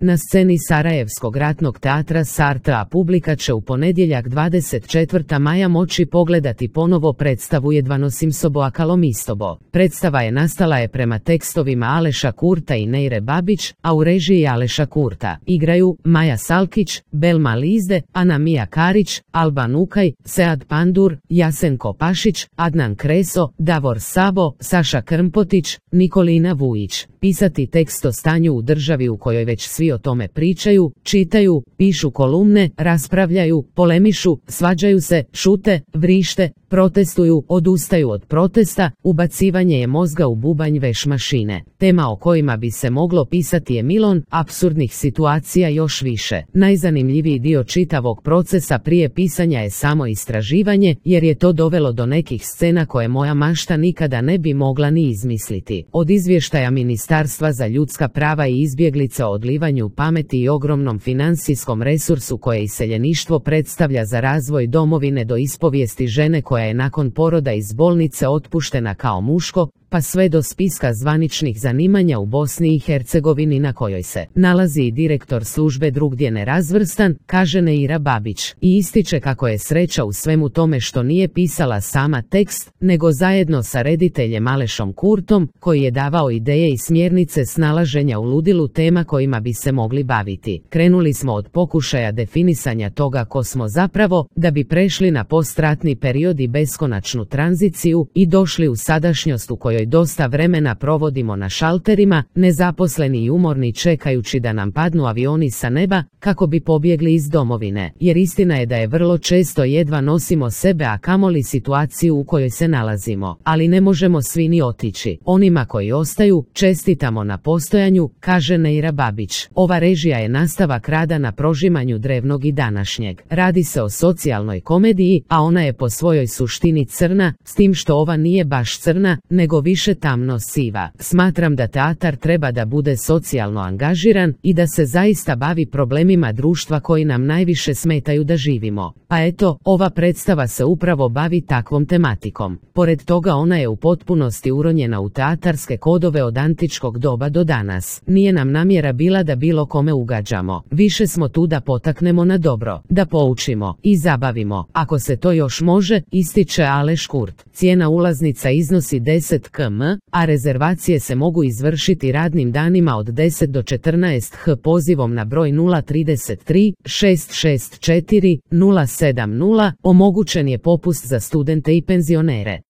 Na sceni Sarajevskog ratnog teatra Sartra publika će u ponedjeljak 24. maja moći pogledati ponovo predstavu Jedva nosim sobo a kalomistobo. Predstava nastala prema tekstovima Aleša Kurta i Neire Babić, a u režiji Aleša Kurta igraju Maja Salkić, Belma Lizde, Ana Mija Karić, Alban Ukaj, Sead Pandur, Jasenko Pašić, Adnan Kreso, Davor Sabo, Saša Krmpotić, Nikolina Vujić. Pisati tekst o stanju u državi u kojoj već svi o tome pričaju, čitaju, pišu kolumne, raspravljaju, polemišu, svađaju se, šute, vrište, protestuju, odustaju od protesta, ubacivanje je mozga u bubanj veš mašine. Tema o kojima bi se moglo pisati je milon, apsurdnih situacija još više. Najzanimljiviji dio čitavog procesa prije pisanja je samo istraživanje, jer je to dovelo do nekih scena koje moja mašta nikada ne bi mogla ni izmisliti. Od izvještaja Ministarstva za ljudska prava i izbjeglice o odlivanju pameti i ogromnom financijskom resursu koje iseljeništvo predstavlja za razvoj domovine do ispovijesti žene koja je nakon poroda iz bolnice otpuštena kao muško, pa sve do spiska zvaničnih zanimanja u Bosni i Hercegovini na kojoj se nalazi i direktor službe drugdje nerazvrstan, kaže Neira Babić. I ističe kako je sreća u svemu tome što nije pisala sama tekst, nego zajedno sa rediteljem Alešom Kurtom, koji je davao ideje i smjernice snalaženja u ludilu tema kojima bi se mogli baviti. Krenuli smo od pokušaja definisanja toga ko smo zapravo, da bi prešli na postratni period i beskonačnu tranziciju i došli u sadašnjost u kojoj dosta vremena provodimo na šalterima, nezaposleni i umorni čekajući da nam padnu avioni sa neba, kako bi pobjegli iz domovine. Jer istina je da je vrlo često jedva nosimo sebe, a kamoli situaciju u kojoj se nalazimo. Ali ne možemo svi ni otići. Onima koji ostaju, čestitamo na postojanju, kaže Neira Babić. Ova režija je nastavak rada na prožimanju drevnog i današnjeg. Radi se o socijalnoj komediji, a ona je po svojoj suštini crna, s tim što ova nije baš crna, nego više tamno siva. Smatram da teatar treba da bude socijalno angažiran i da se zaista bavi problemima društva koji nam najviše smetaju da živimo. Pa eto, ova predstava se upravo bavi takvom tematikom. Pored toga ona je u potpunosti uronjena u teatarske kodove od antičkog doba do danas. Nije nam namjera bila da bilo kome ugađamo. Više smo tu da potaknemo na dobro, da poučimo i zabavimo. Ako se to još može, ističe Aleš Kurt. Cijena ulaznica iznosi 10 km, a rezervacije se mogu izvršiti radnim danima od 10 do 14 h pozivom na broj 033 664 070. Omogućen je popust za studente i penzionere.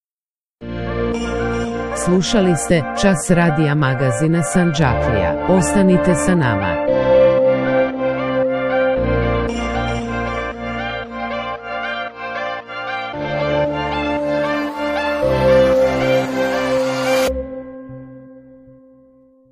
Slušali ste Čas radija magazina Sandžaklija. Ostanite sa nama.